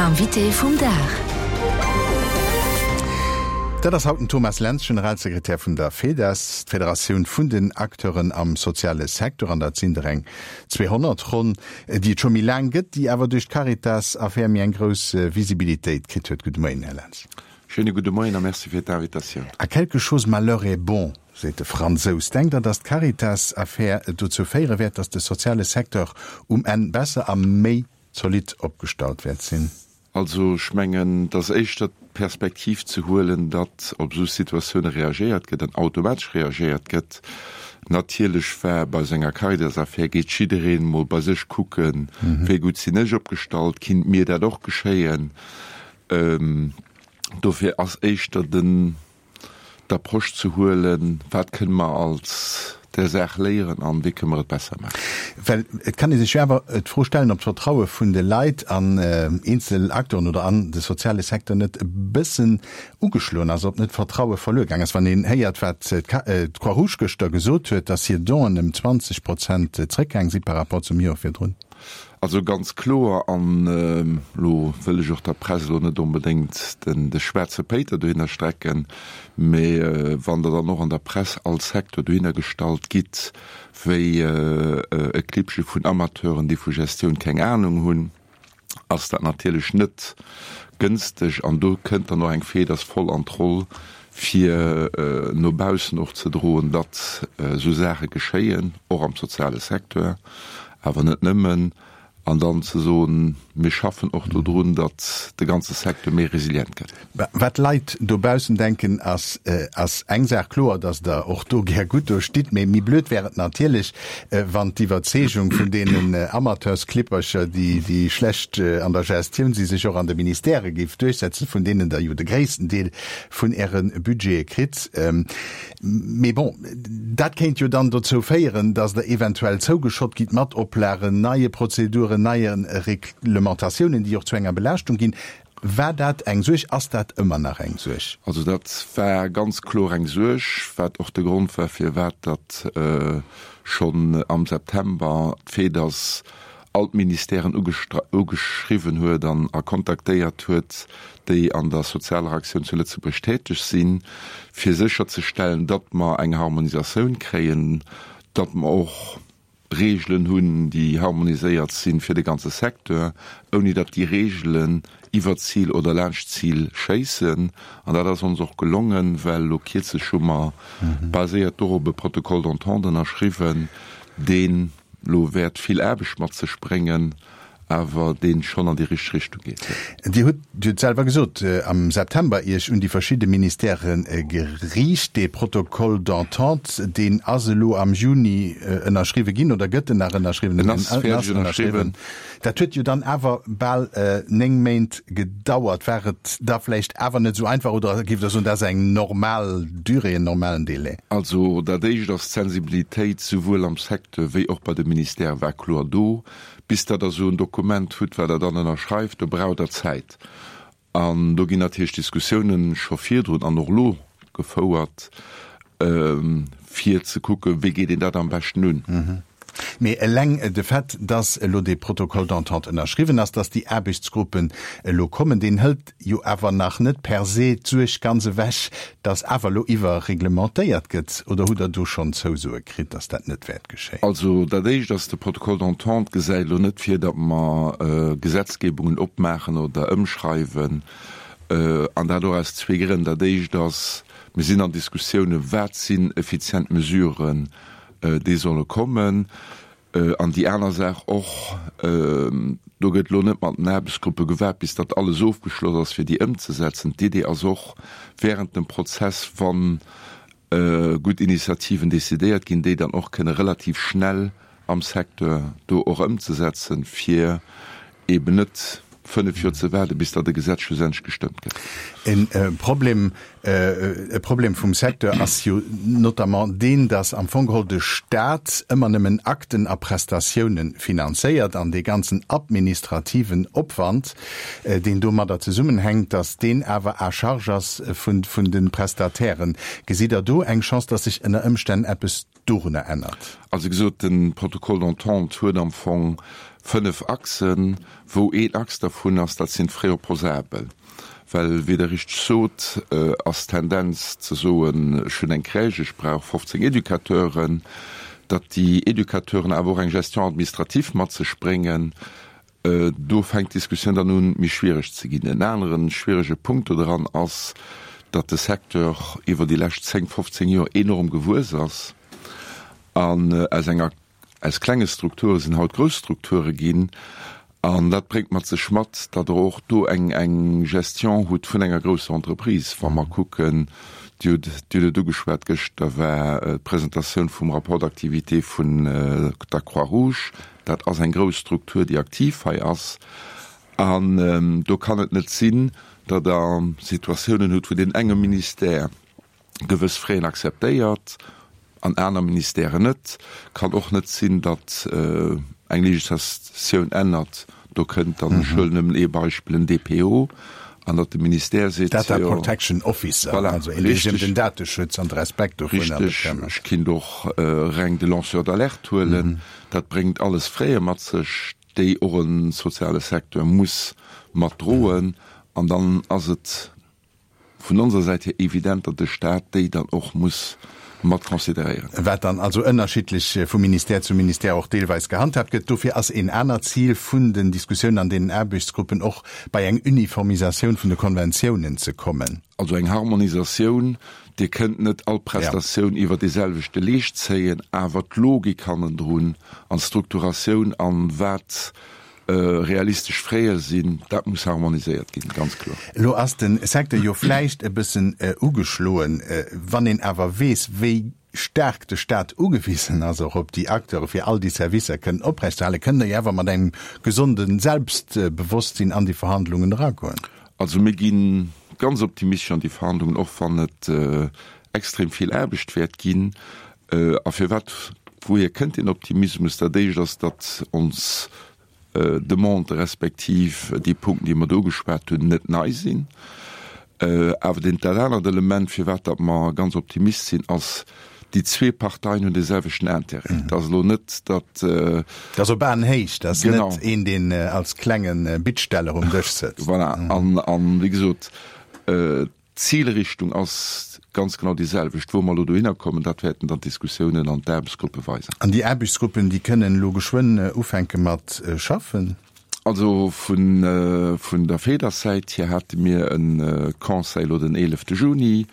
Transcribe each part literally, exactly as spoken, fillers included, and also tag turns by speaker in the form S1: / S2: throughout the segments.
S1: Invité vum Dag.
S2: Dat ass haut den Thomas Lentz, Generalsekretär vun der FEDAS, d'Federatioun vun den Acteuren am soziale Secteur, an dat sinn der eng zweehonnert ronn, déi et scho méi laang gëtt, déi awer duerch d'Caritas-Affär méi eng grouss Visibilitéit kritt huet. Gudde Moien, Här Lentz.
S3: Schéine gudde Moien a Merci fir d'Invitatioun.
S2: À quelque chose malheur est bon, seet de Fransous. Denkt Der, datt d'Caritas-Affär dozou féiere wäert, datt de soziale Secteur um Enn besser a méi zolidd opgestallt wäert sinn?
S3: Also ech mengen, et ass éischter d'Perspektiv ze huelen, datt op esou Situatioune reagéiert gëtt an automatesch reagéiert gëtt. Natierlech war bei esou enger Caritas-Affär, geet jiddereen emol bei sech kucken, wéi gutt sinn ech opgestallt, kinnt mir dat och geschéien. Dofir ass éischter den d'Approche ze huelen, wat kënne mer als där Saach léieren an wéi kënne mer et besser maachen.
S2: Well et kann ee sech jo awer d'Fro stellen, ob d'Vertraue vun de Leit an eenzel Acteuren oder an de soziale Secteur net e bëssen ugeschloen ass, ob net Vertraue verluer gaang ass, wann een héiert, wat d'Croix-Rouge gëschter gesot huet, dass hir Donen ëm zwanzeg Prozent zréckgaang si par rapport zum Joer virdrun.
S3: Also ganz kloer, an elo wëll ech och der Press elo net onbedéngt den de schwaarze Péiter dohinner strecken, mä wann Der dann och an der Press als Secteur dohinner gestallt gitt wéi e Klippche vun Amateuren, déi vu Gestioun keng Ahnung hunn, ass dat natierlech net gënsteg. An do kënnt dann och eng Feders voll an d'Roll, fir no baussen och ze droen, datt esou Saache geschéien, och am soziale Secteur, awer net nëmmen, an dann ze soen, mir schaffen och dodrun, datt de ganze Secteur méi resilient gëtt.
S2: Wat d'Leit dobaussen denken, ass ass eng Saach. Kloer, datt Der och do gär gutt do stitt, mee méi blöd wär et natierlech, wann d'Iwwerzeegung vun deenen Amateursklippercher, déi déi schlecht an der Gestioun si, sech och an de Ministèrë géif duerchsetzen, vun deenen Der jo de gréissten Deel vun Äre Budgete kritt. Mee bon, dat kéint jo dann dozou féieren, datt Der eventuell zougeschott gitt mat Oplagen, neie Prozeduren, neie Reglementatiounen, déi och zu enger Belaaschtung ginn. War dat eng Suerg? Ass dat ëmmer nach eng Suerg?
S3: Also dat war ganz kloer eng Suerg, wat och de Grond war, firwat datt schonn am September d'FEDAS all d'Ministèren ugeschriwwen huet an a kontaktéiert huet, déi an der sozialer Aktioun zu Lëtzebuerg täteg sinn, fir sécherzestellen, datt mer eng Harmonisatioun kréien, datt mer och Reegelen hunn, déi harmoniséiert sinn fir de ganze Secteur, ouni datt déi Reegelen iwwer d'Zil oder laanscht d'Zil schéissen. An dat ass ons och gelongen, well elo kierzlech hu mer baséiert dorop e Protocole d'entente ënnerschriwwen, deen elo wäert vill Aarbecht mat sech bréngen, awer dee schonn an déi richteg Richtung geet.
S2: Dir hutt, Dir hutt selwer gesot, am September Iech un déi verschidde Ministèrë geriicht. Dee Protocole d'entente, deen ass elo am Juni ënnerschriwwe ginn, oder gëtt en nach ënnerschriwwen?
S3: En ass fäerdeg ënnerschriwwen.
S2: Dat huet jo dann awer bal néng Méint gedauert. War et da vläicht awer net esou einfach, oder géift Der soen, dat ass eng normal Durée, en normalen Délai?
S3: Also dat Éischt ass, d'Sensibilitéit souwuel am Secteur wéi och bei de Ministèrë war kloer do. Bis Der da esou en Dokument hutt, wat Der dann ënnerschreift, do braucht Der Zäit. An do ginn natierlech Diskussiounen scho virdrun an och elo gefouert, fir ze kucken, wéi geet een dat am beschten un.
S2: Mee eleng de Fait, dass elo dee Protocole d'entente ënnerschriwwen ass, dass déi Aarbechtsgruppen elo kommen, deen hëlt jo awer nach net per se d'Suerg ganz ewech, dass awer elo iwwerreglementéiert gëtt. Oder hutt Der do schonn Zousoe kritt, dass dat net wäert geschéien?
S3: Also dat Éischt ass, de Protocole d'entente gesäit elo net vir, datt mer Gesetzgebungen opmaachen oder ëmschreiwen, an dat och aus zwee Grënn. Dat Éischt ass, mir sinn an Diskussiounen, wat sinn effizient Mesuren, déi solle kommen. An déi aner Saach och, do gëtt elo net mat den Aarbechtsgruppe gewaart, bis datt alles ofgeschloss ass, fir déi ëmzesetzen. D'Idee ass och, während dem Prozess, wa gutt Initiativen decidéiert ginn, déi dann och kënne relativ schnell am Secteur do och ëmzesetzen, fir eben net fënnef Joer ze waarden, bis datt e Gesetz schlussendlech gestëmmt gëtt.
S2: E Problem, e Problem vum Secteur ass jo notamment deen, datt am Fong geholl de Stat ëmmer nëmmen Akten a Prestatiounen finanzéiert an dee ganzen administrativen Opwand, deen domadder zesummenhänkt, datt deen awer à charge ass vun, vun de Prestatairen. Gesitt Der do eng Chance, datt sech ënner Ëmstänn eppes dorunner ännert.
S3: Also wéi gesot, de Protocole d'entente huet am Fong fënnef Achsen, wou een Achs dervun ass, dat sinn d'Frais opposables. Well, wéi Der richteg sot, ass d'Tendenz ze soen, ech hunn eng Crèche, ech brauch fofzéng Educateuren, datt déi Educateuren awer och eng Gestion administrative mat sech bréngen. Do fänkt d'Diskussioun dann un, méi schwiereg ze ginn. En anere schwierege Punkt dodran ass, datt de Secteur iwwer déi lescht zéng, fofzéng Joer enorm gewuess ass an aus enger, aus klenge Strukture sinn haut grouss Strukture ginn. An dat bréngt mat sech mat, datt Der och do eng, eng Gestion hutt vun enger grousser Entreprise. Wa mer kucken, Dir hutt, Dir hutt et ugeschwat, gëschter war d'Presentatioun vum Rapport d'activité vun der Croix-Rouge. Dat ass eng grouss Struktur, déi aktiv hei ass. An do kann et net sinn, datt Der Situatiounen hutt, wou deen enge Ministère gewëss Fräen akzeptéiert an aner Ministèren net. Kann och net sinn, datt eng Législatioun ännert, do kënnt dann, ech huelen nëmmen ee Beispill, en D P O, an datt de Ministère seet,
S2: Data
S3: jo,
S2: Protection Officer,
S3: voilà,
S2: also een, dee sech ëm
S3: richtig.
S2: den Dateschutz an de Respekt dovunner
S3: Richtig,
S2: bekëmmert.
S3: Ech kinnt och reng de Lanceur d'alerte huelen. Dat bréngt alles Fräe mat sech, déi och e soziale Secteur muss mat droen. An dann ass et vun onser Säit hier evident, datt de Stat déi dann och muss mat consideréieren.
S2: Wat dann also ënnerschiddlech vu Ministère zu Ministère och deelweis gehandhaabt gëtt. Dofir ass een anert Zil vun den Diskussiounen an den Aarbechtsgruppen och, bei eng Uniformisatioun vun de Konventiounen ze kommen.
S3: Also eng Harmonisatioun. Dir kënnt net all Prestatioun iwwer dee selwechte Leescht zéien, awer d'Logik hannendrun an d'Strukturatioun an wat realistesch Fräe sinn, dat muss harmoniséiert ginn, ganz kloer.
S2: Elo ass de Secteur jo vläicht e bëssen ugeschloen. Wann een awer weess, wéi staark de Staat ugewisen ass och op déi Acteure fir all déi Servicer kënnen oprechtzehalen, kënnt Der jo awer mat engem gesonde Selbstbewosstsinn an déi Verhandlungen eragoen.
S3: Also mir gi ganz optimistesch an déi Verhandlungen, och wann et extrem vill Aarbecht wäert ginn. A firwat, wouhier kënnt deen Optimismus? Dat Éischt ass, datt ons Demandë respektiv déi Punkten, déi mer do ugeschwat hunn, net nei sinn. Awer deen, dat anert Element, firwat datt mer ganz Optimist sinn, ass, déi zwee Parteien hunn dee selwechten Intérêt. Et ass elo net, datt.
S2: Et ass op Aenhéicht, et ass net een, deen als klenge Bittsteller um Dësch sëtzt.
S3: Voilà. An, an wéi gesot, D'Zilrichtung ass ganz genau déi selwecht. Wou mer elo dohinner kommen, dat wäerten dann d'Diskussiounen an d'Aarbechtsgruppe weisen.
S2: An déi Aarbechtsgruppen, déi kënnen elo geschwënn ufänke mat schaffen?
S3: Also vun der FEDER-Säit hier hate mir e Conseil elo den eelefte Juni,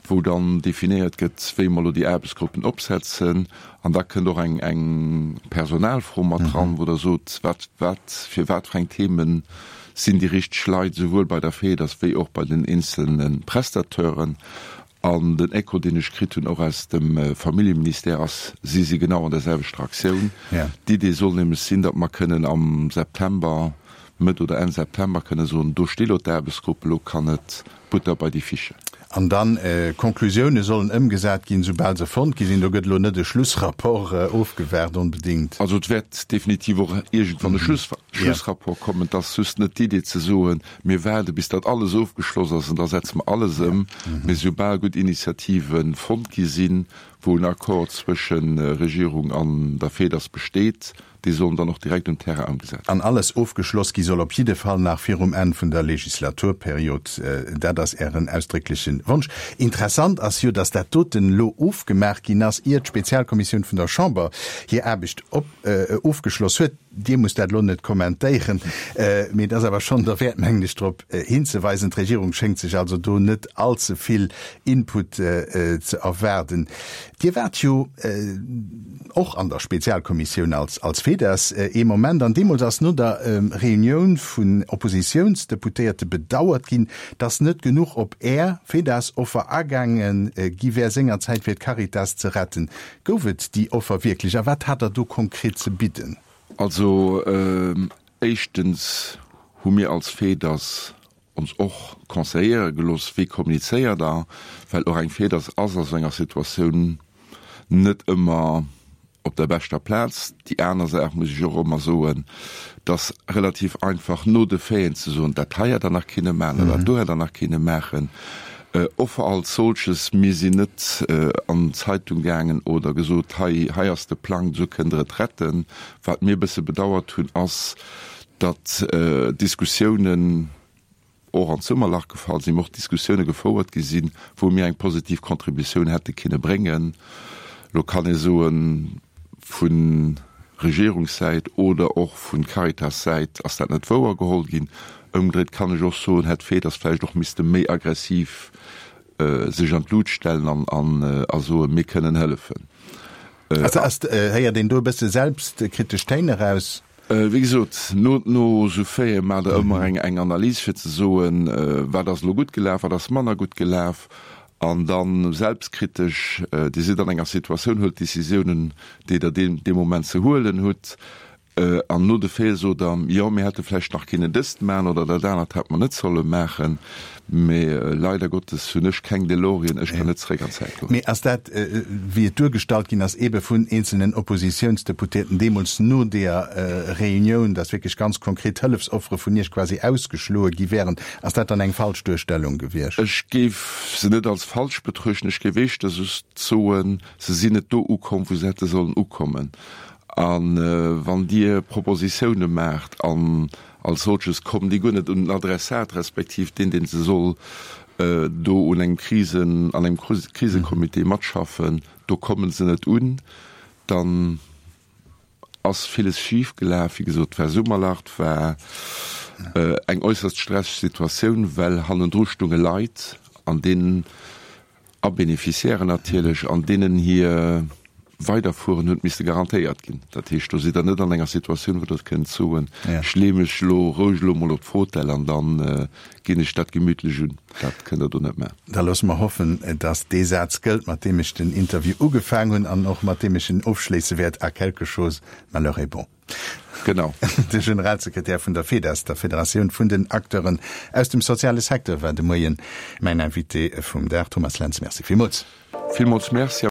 S3: wou dann definéiert gëtt, wéi mer elo déi Aarbechtsgruppen opsetzen. An da kënnt och eng eng Personalfro mat dran, wou Der sot, wat wat fir wat fir eng Themen sinn déi richteg Leit, souwuel bei der FEDAS wéi och bei den eenzelne Prestateuren. An den Echo, deen ech kritt hunn, och aus dem Familljeministère, ass, si si genau an der selwechter Aktioun. D'Idee soll nämlech sinn, datt mer kënnen am September, Mëtt oder Enn September kënne soen, do sti lo d'Aarbechtsgrupp, elo kann et Butter bei déi Fische.
S2: An dann, Conclusioune sollen ëmgesat ginn, soubal se fonnt gi sinn. Do gëtt elo net e Schlussrapport ofgewaart onbedéngt.
S3: Also et wäert definitiv och iergendwann e Schlussrapport kommen. Et ass just net d'Idee ze soen, mir waarde bis dat alles ofgeschloss ass an da setze mer alles ëm. Mee soubal gutt Initiative fonnt gi sinn, wou en Accord zwësche Regierung an der FEDAS besteet, Déi sollen dann och direkt um Terrain ëmgesat ginn.
S2: An alles ofgeschloss gi soll op jidde Fall nach virum Enn vun der Legislaturperiod. Dat ass Ären ausdréckleche Wonsch. Interessant ass jo, datt dat doten elo ofgemaach ginn ass, ier d'Spezialkommissioun vun der Chamber hir Aarbecht ofgeschloss huet. Dir musst dat elo net kommentéieren, mee et ass awer schonn derwäert, mengen ech, drop hinzeweisen. D'Regierung schéngt sech also do net allze vill Input ze erwaarden. Dir waart jo och an der Spezialkommissioun als als FEDAS ee Moment, an deemools ass no der Reunioun vun Oppositiounsdeputéierte bedauert ginn, datt net genuch op Är, FEDAS, Offer agaange gi wär sengerzäit fir d'Caritas ze retten. Gouf et déi Offer wierklech a wat hat Der do konkret ze bidden?
S3: Also éischtens hu mir als FEDAS ons och conseilléiere gelooss, wéi kommunizéiert Der, well och eng FEDAS ass a sou enger Situatioun net ëmmer op der beschter Plaz. Déi aner Saach muss ech och ëmmer soen, et ass relativ einfach no de Faiten ze soen, dat hei hätt Der nach kinne maachen oder dat do hätt Der nach kinne maachen. Offer als solches, mir sinn net an d'Zeitung gaangen oder gesot, hei, hei ass de Plang, esou kënnt Der et retten. Wat mir e bësse bedauert hunn, ass, datt Diskussiounen och an d'Summerlach gefall sinn, mä och Diskussioune gefouert gi sinn, wou mir eng positiv Contributioun hätte kinne bréngen. Elo kann ee soen, vu Regierungssäit oder och vu Caritas-Säit ass dat net wouer geholl ginn. Ëmgedréit kann ech och soen, hätt d'FEDAS vläicht och misste méi aggressiv sech an d'Lut stellen an a soen, mir kënnen hëllefen.
S2: Also ass, héiert een do e bësse selbstkritesch Téin eraus?
S3: Wéi gesot, no no esou Faite maacht Der ëmmer eng eng Analys fir ze soen, wat ass elo gutt gelaf, wat ass manner gutt gelaf. An da selbstkritesch, Dir sidd an enger Situatioun, huelt d'Décisiounen, déi Der deen dee Moment ze huelen hutt. An no de Faite sot Der, jo, mir hätte vläicht nach kinnen dëst maachen oder dat anert hätte mer net solle maachen. Mee leider Gottes hunn ech keng DeLorean, ech kann net zeréck an d'Zäit goen.
S2: Mee ass dat, wéi et duergestallt ginn ass, eebe vun eenzelnen Oppositiounsdeputéierten deemools no deeër Reunioun, dass wierklech ganz konkret Hëllefsoffere vun Iech quasi ausgeschloe gi wären, ass dat dann eng falsch Duerstellung gewiescht?
S3: Ech géif se net als falsch betruechten. Ech géif éischter just soen, se sinn net do ukomm, wou se hätte sollen ukommen. A wann Dir Propositioune maacht an als solches kommen déi guer net un den Adressat, respektiv deen, dee se soll do un engem Krisen, an engem Krisecomité matschaffen, do komme se net un, dann ass villes schif gelaf. Wéi gesot, et war Summerlach, et war eng äusserst stresseg Situatioun, well hannendru stounge Leit an deenen, a Beneficiairen natierlech, an deenen hir Weiderfueren huet misste garantéiert ginn. Dat heescht, do sidd Der net an enger Situatioun, wou Der kënnt soen, ech leeë mech elo roueg elo emol op d'Fotell an da ginn ech dat gemütlech un. Dat kënnt Der do net maachen.
S2: Da loosse mer hoffen, dass dee Saz gëllt, mat deem ech den Interview ugefaang hunn an och mat deem ech en ofschléisse wäert, À quelque chose malheur est bon.
S3: Genau.
S2: De Generalsekretär vun der FEDAS, der Federatioun vun den Acteuren aus dem soziale Secteur, war de Moien mäin Invité vum Dag. Thomas Lentz, Merci villmools.
S3: Villmools Merci.